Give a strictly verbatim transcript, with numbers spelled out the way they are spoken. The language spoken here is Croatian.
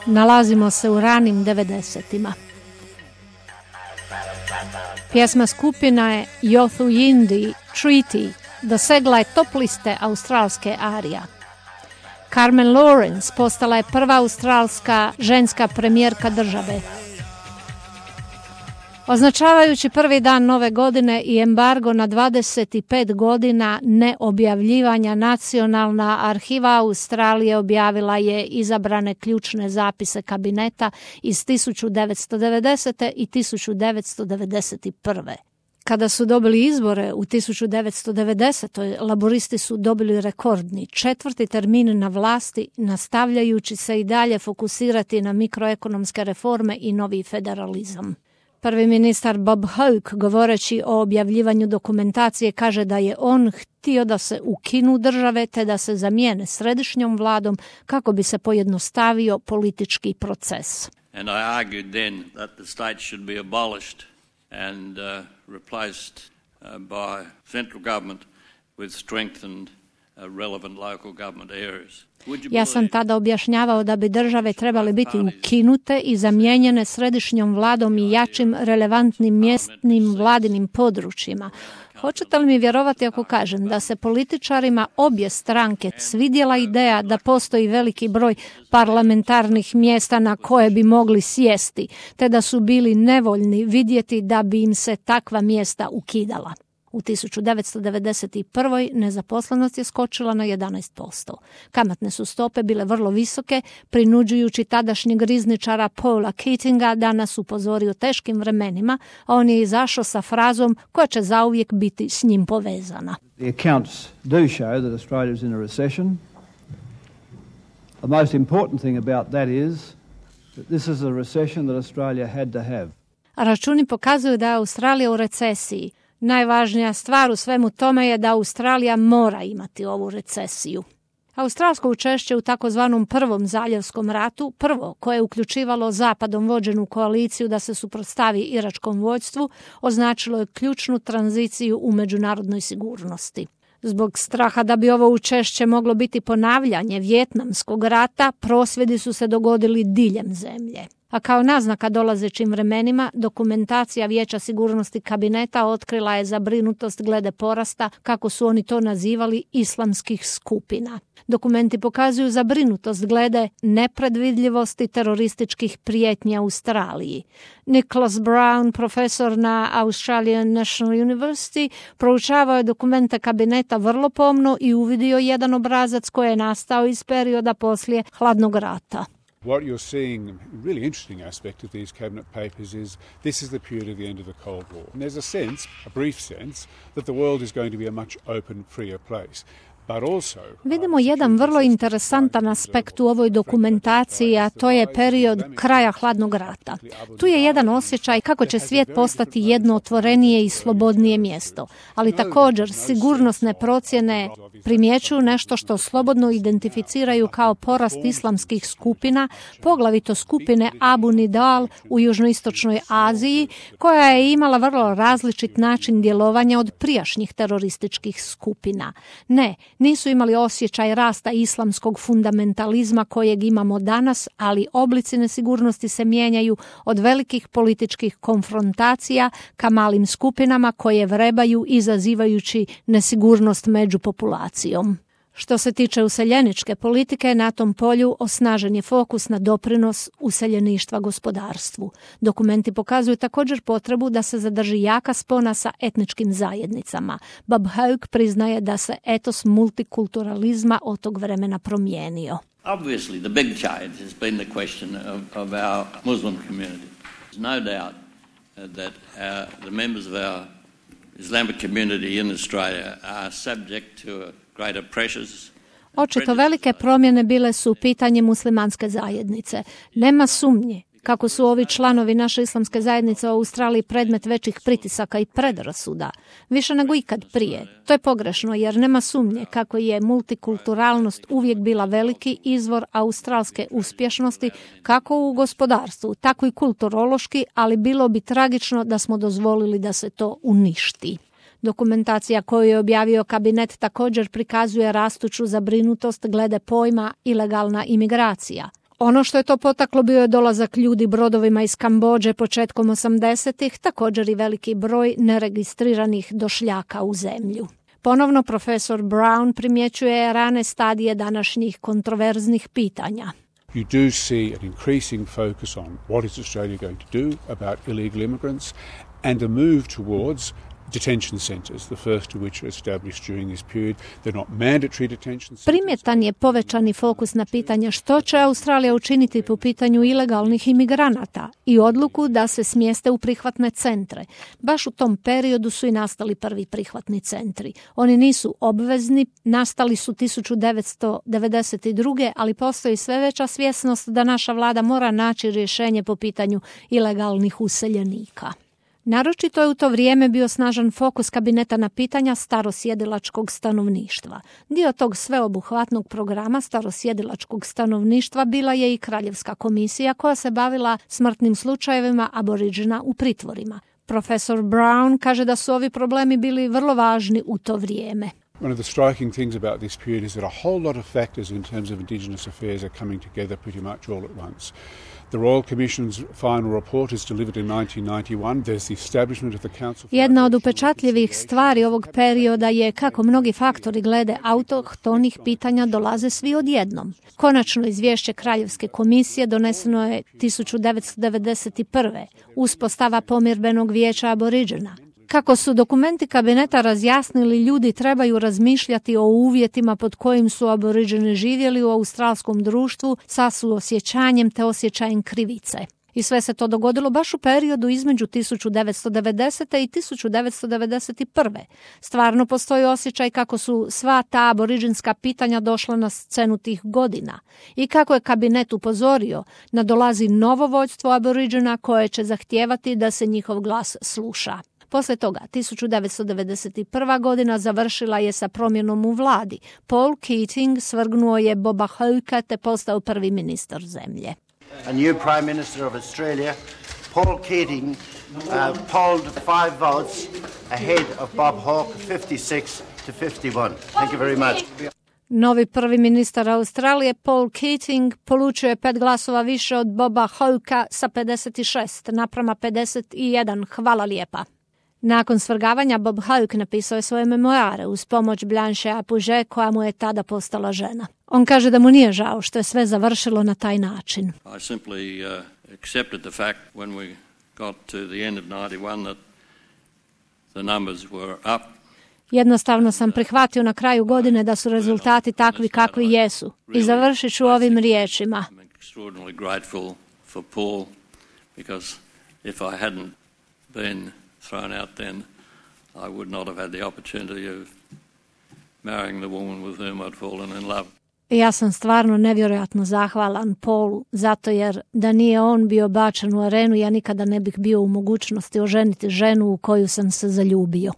Nalazimo se u ranim devedesetima. Pjesma skupina je Yothu Yindi Treaty dosegla je top liste australske arija. Carmen Lawrence postala je prva australska ženska premijerka države. Označavajući prvi dan nove godine i embargo na dvadeset pet godina neobjavljivanja, Nacionalna arhiva Australije objavila je izabrane ključne zapise kabineta iz tisuću devetsto devedesete. i tisuću devetsto devedeset prve. Kada su dobili izbore u tisuću devetsto devedesetoj. laboristi su dobili rekordni četvrti termin na vlasti, nastavljajući se i dalje fokusirati na mikroekonomske reforme i novi federalizam. Prvi ministar Bob Hawke, govoreći o objavljivanju dokumentacije, kaže da je on htio da se ukinu države te da se zamijene središnjom vladom kako bi se pojednostavio politički proces. And I argued then that the state should be abolished and uh, replaced uh, by central government with strengthened uh, relevant local government areas. Ja sam tada objašnjavao da bi države trebale biti ukinute i zamijenjene središnjom vladom i jačim relevantnim mjesnim vladinim područjima. Hoćete li mi vjerovati ako kažem da se političarima obje stranke svidjela ideja da postoji veliki broj parlamentarnih mjesta na koje bi mogli sjesti, te da su bili nevoljni vidjeti da bi im se takva mjesta ukidala. U tisuću devetsto devedeset prvoj. nezaposlenost je skočila na jedanaest posto. Kamatne su stope bile vrlo visoke, prinuđujući tadašnjeg rizničara Paula Keatinga da nas upozori o teškim vremenima, a on je izašao sa frazom koja će zauvijek biti s njim povezana. The accounts do show that Australia is in a recession. The most important thing about that is that this is a recession that Australia had to have. Računi pokazuju da je Australija u recesiji. Najvažnija stvar u svemu tome je da Australija mora imati ovu recesiju. Australsko učešće u takozvanom prvom zaljevskom ratu, prvo koje je uključivalo zapadom vođenu koaliciju da se suprotstavi iračkom vođstvu, označilo je ključnu tranziciju u međunarodnoj sigurnosti. Zbog straha da bi ovo učešće moglo biti ponavljanje Vijetnamskog rata, prosvjedi su se dogodili diljem zemlje. A kao naznaka dolazećim vremenima, dokumentacija Vijeća sigurnosti kabineta otkrila je zabrinutost glede porasta, kako su oni to nazivali, islamskih skupina. Dokumenti pokazuju zabrinutost glede nepredvidljivosti terorističkih prijetnji Australiji. Nicholas Brown, profesor na Australian National University, proučavao je dokumente kabineta vrlo pomno i uvidio jedan obrazac koji je nastao iz perioda poslije hladnog rata. What you're seeing, a really interesting aspect of these cabinet papers is this is the period of the end of the Cold War. And there's a sense, a brief sense, that the world is going to be a much open, freer place. Vidimo jedan vrlo interesantan aspekt u ovoj dokumentaciji, a to je period kraja hladnog rata. Tu je jedan osjećaj kako će svijet postati jedno otvorenije i slobodnije mjesto, ali također sigurnosne procjene primjećuju nešto što slobodno identificiraju kao porast islamskih skupina, poglavito skupine Abu Nidal u južnoistočnoj Aziji, koja je imala vrlo različit način djelovanja od prijašnjih terorističkih skupina. Ne, nisu imali osjećaj rasta islamskog fundamentalizma kojeg imamo danas, ali oblici nesigurnosti se mijenjaju od velikih političkih konfrontacija ka malim skupinama koje vrebaju izazivajući nesigurnost među populacijom. Što se tiče useljeničke politike, na tom polju osnažen je fokus na doprinos useljeništva gospodarstvu. Dokumenti pokazuju također potrebu da se zadrži jaka spona sa etničkim zajednicama. Bob Hawke priznaje da se etos multikulturalizma od tog vremena promijenio. Obviously, the big change has been the question of, of our Muslim community. There's no doubt that our, the members of our Islamic community in Australia are subject to a Očito velike promjene bile su pitanje muslimanske zajednice. Nema sumnje Kako su ovi članovi naše islamske zajednice u Australiji predmet većih pritisaka i predrasuda, više nego ikad prije. To je pogrešno jer nema sumnje kako je multikulturalnost uvijek bila veliki izvor australske uspješnosti kako u gospodarstvu, tako i kulturološki, ali bilo bi tragično da smo dozvolili da se to uništi. Dokumentacija koju je objavio kabinet također prikazuje rastuću zabrinutost glede pojma ilegalna imigracija. Ono što je to potaklo bio je dolazak ljudi brodovima iz Kambodže početkom osamdesetih, također i veliki broj neregistriranih došljaka u zemlju. Ponovno profesor Brown primjećuje rane stadije današnjih kontroverznih pitanja. You do see an increasing focus on what is Australia going to do about illegal immigrants and a move towards detention centres, the first of which are established during this period. They're not mandatory detention centres. Primjetan je povećani fokus na pitanje što će Australija učiniti po pitanju ilegalnih imigranata i odluku da se smjeste u prihvatne centre. Baš u tom periodu su i nastali prvi prihvatni centri. Oni nisu obvezni, nastali su tisuću devetsto devedeset druge. ali postoji sve veća svjesnost da naša vlada mora naći rješenje po pitanju ilegalnih useljenika. Naročito je u to vrijeme bio snažan fokus kabineta na pitanja starosjedilačkog stanovništva. Dio tog sveobuhvatnog programa starosjedilačkog stanovništva bila je i Kraljevska komisija koja se bavila smrtnim slučajevima aboriđina u pritvorima. Profesor Brown kaže da su ovi problemi bili vrlo važni u to vrijeme. One of the striking things about this period is that a whole lot of factors in terms of Indigenous affairs are coming together pretty much all at once. The Royal Commission's final report is delivered in nineteen ninety-one. There's the establishment of the Council. Jedna od upečatljivih stvari ovog perioda je kako mnogi faktori glede autohtonih pitanja dolaze svi odjednom. Konačno izvješće Kraljevske komisije doneseno je tisuću devetsto devedeset prve. Uspostava pomirbenog vijeća aboriđena. Kako su dokumenti kabineta razjasnili, ljudi trebaju razmišljati o uvjetima pod kojim su aboriđeni živjeli u australskom društvu sa suosjećanjem te osjećajem krivice. I sve se to dogodilo baš u periodu između tisuću devetsto devedesete i tisuću devetsto devedeset prve. Stvarno postoji osjećaj kako su sva ta aboriđinska pitanja došla na scenu tih godina i kako je kabinet upozorio nadolazi novo vođstvo aboriđena koje će zahtijevati da se njihov glas sluša. Poslije toga, tisuću devetsto devedeset prva. godina završila je sa promjenom u vladi. Paul Keating svrgnuo je Boba Hawkea te postao prvi ministar zemlje. A new Prime Minister of Australia, Paul Keating, uh, polled five votes ahead of Bob Hawke, fifty-six to fifty-one. Thank you very much. Novi prvi ministar Australije, Paul Keating, polučio je pet glasova više od Boba Hawkea sa pedeset šest naprama pedeset jedan. Hvala lijepa. Nakon svrgavanja Bob Hawke napisao je svoje memoare uz pomoć Blanche Apouge koja mu je tada postala žena. On kaže da mu nije žao što je sve završilo na taj način. I simply uh, accepted the fact when we got to the end of ninety-one that the numbers were up. Jednostavno sam prihvatio na kraju godine da su rezultati takvi kakvi jesu. I završit ću ovim riječima. I'm extraordinarily grateful for Paul because if I hadn't been thrown out then, I would not have had the opportunity of marrying the woman with whom I'd fallen in love. Ja sam stvarno nevjerojatno zahvalan Paulu, zato jer da nije on bio bačen u arenu, ja nikada ne bih bio u mogućnosti oženiti ženu u koju sam se zaljubio.